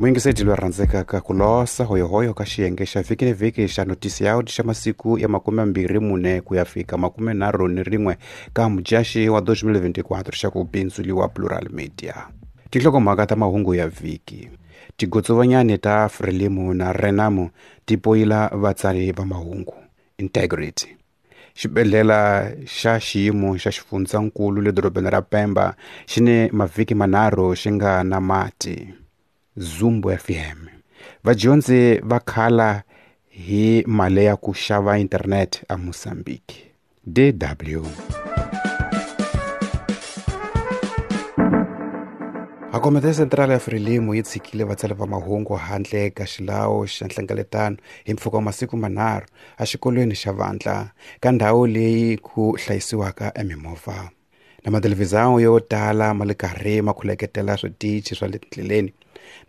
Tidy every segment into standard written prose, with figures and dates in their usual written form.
Muyingiseti loyi rhandzekaka ku losa hoyohoyo ka xiyenge xa vhiki ni vhiki xa notisiyaudi xa masiku ya 24 ku ya fika 31 ka mudyaxi wa 2024 xa ku bindzuliwa Plural Media. Tinhlokomhaka ta mahungu ya vhiki. Tigotsovanyani ta Frelimo na Renamo ti poyila vatsari va mahungu. Integrity. Xibedhlele xa xiyimo xa xifundzankulu le dorobeni ra Pemba xi ni mavhiki manharhu xi nga na mati. Zumbu FM. Vadyondzi va khala hi mali ya ku xava internet a Mozambique. DW. Hakomete Central ya Frelimo yi tshikile vatsari va mahungu handle ka xilawu xa nhlengeletano hi mpfhuka wa masiku manharhu exikolweni xa vandla ka ndhawu leyi ku hlayisiwaka emimovha. Na mathelevhizhawu yo tala ma le karhi ma khuleketela switichi swa le tindleleni.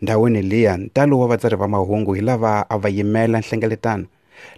Ndhawini liya ntalo wa vatsari va mahungu hi lava a va yimela nhlengeletano,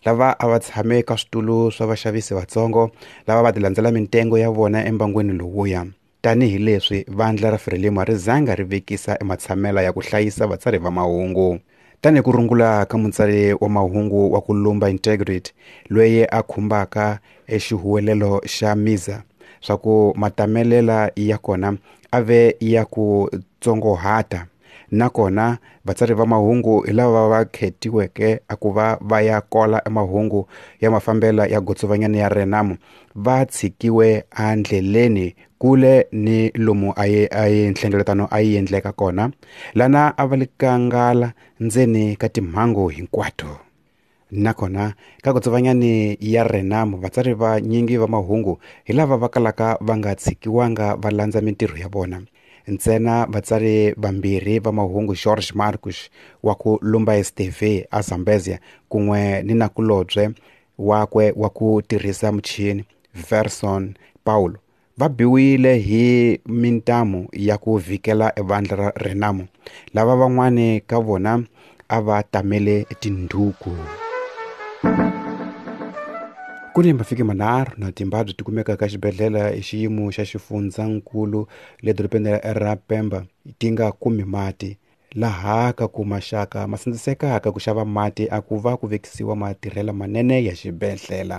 lava a va tshame ka switulu swa vaxavisi vatsongo, lava va ti landzela mitengo ya vona embangwini lowuya. Tanihi leswi vandla ra Frelimo ri zanga ri vekisa ematshamela ya ku hlayisa vatsari va mahungu. Tanihi ku rungula ka mutsari wa mahungu wa ku lumba Integrity loyi a khumbaka exihuwelelo xa Miza swa ku matamelela ya kona a ve ya ku tsongohata, nakona vatsari va mahungu hi lava va khetiweke a ku va va ya kola emahungu ya mafambela ya gotsovanyana ya Renamo va tshikiwe endleleni kule ni lomu a yi nhlengeletano a yi endleka kona, lana a va le kangala ndzeni ka timhangu hinkwato. Nakona ka gotsovanyani ya Renamo vatsari va nyingi va mahungu hi lava va kalaka va nga tshikiwanga va landza mintirho ya vona. Ntsena vatsari vambirhi va mahungu George Marcus wa ku lumba STV a Zambezia kun'we ni nakulobye wakwe wa ku tirhisa muchini Verson Paulo va biwile hi mintamu ya ku vhikela evandla ra Renamo, lava van'wani ka vona a va tamele tindhuku. Ku ni mavhiki manharhu na timbabyi ti kumeka ka xibedhlele hi xiyimo xa xifundzankulu le dorobeni ra Pemba ti nga kumi mati, laha ka ku maxaka ma sindzisekaka ku xava mati a ku va ku vekisiwa matirhelo manene ya xibedhlele.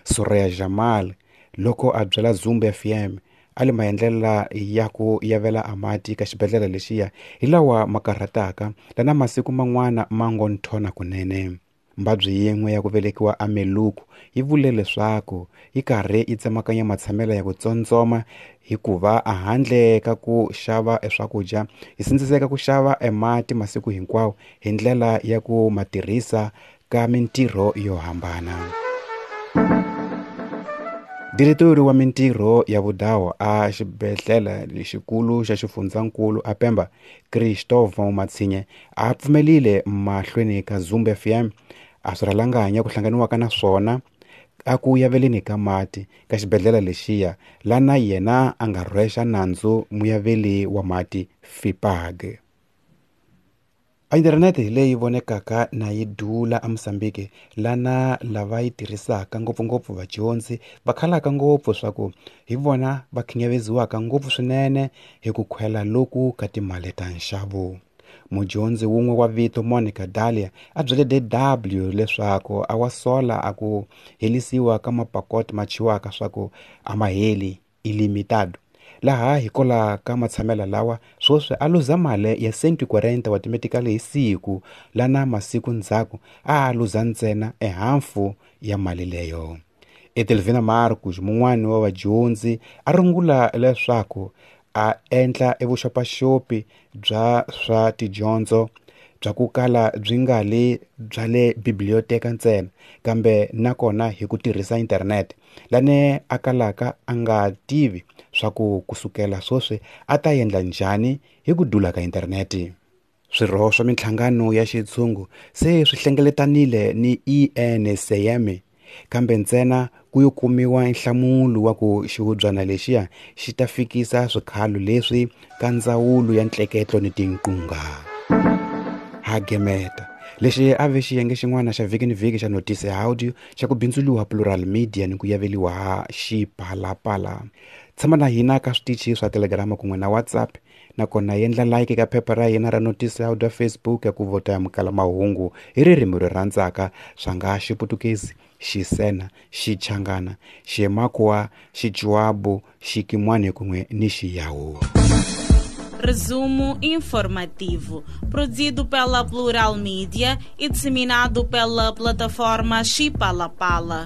Soraya Jamal loko a byela Zumbu FM a le maendlela ya ku yavela a mati ka xibedhlele lexiya hi lawa ma karhataka lana masiku man'wana ma ngo nthona kunene. Mbabyi yin'we ya ku velekiwa a Meluku yi vule leswaku yi karhi yi tsemakanya matshamelo ya ku tsondzoma hikuva a handle ka ku xava eswakudya yi sindziseka ku xava emati masiku hinkwawo hi ndlela ya ku ma tirhisa ka mintirho yo hambana. Diretori wa mintirho ya vudawo a xibedhlele lexikulu xa xifundzankulu a Pemba, Cristóvão Matsinhe, a pfumelile mahlweni ka Zumbu FM a swi rhalanganya ku hlanganiwaka na swona a ku yaveleni ka mati ka xibedhlele lexiya, lana yena a nga rhwexa nandzu muyaveli wa mati FIPAG. Inthanete hi leyi vonekaka na yi dula eMozambique, lana lava yi tirhisaka ngopfungopfu vadyondzi va khalaka ngopfu swa ku hi vona va khinyaveziwaka ngopfu swinene hi ku khwela loku ka timali ta nxavo. Mudyondzi wun'we wa vito Monica Dalia a byele DW leswaku a wa sola a ku helisiwa ka mapakoti ma chiwaka swa ku a ma heli ilimitado, laha hikola ka matshamela lawa swoswi a luza mali ya 140 wa timetikali hi siku, lana masiku ndzhaku a luza ntsena ehafu ya mali leyo. Etelvina Marcos, mun'wani wa vadyondzi, a rungula leswaku a endla evuxopaxopi bya swa tidyondzo bya ku kala byi nga le bya le biblioteka ntsena, kambe nakona hi ku tirhisa internet, lane a kalaka a nga tivi swa ku kusukela swoswi a ta endla njhani hi ku dula ka interneti. Swirho swa minhlangano ya xitshungu se swi hlengeletanile ni ENCM, kambe ntsena ku yo kumiwa nhlamulo wa ku xihubyana lexiya xi ta fikisa swikhalo leswi ka ndzawulo ya ntleketlo ni tinqunga. Hagemeta lexi a ve xiyenge xin'wana xa vhiki ni vhiki xa Notice Audio xa ku bindzuliwa Plural Media ni ku yaveliwa ha Xipalapala. Tshama na hina ka switichi swa Telegram kun'we na WhatsApp. Nakona yendla like ka phepha ra hina ra Notice Audio Facebook ya ku vota ya mukala mahungu hi ririmi ro rhandzaka, swa nga Xiputukezi, Xisena, Xichangana, Ximakwa, Xichuabu, Xikimwani kun'we ni Xiyawu. Resumo informativo, produzido pela Plural Mídia e disseminado pela plataforma Chipalapala.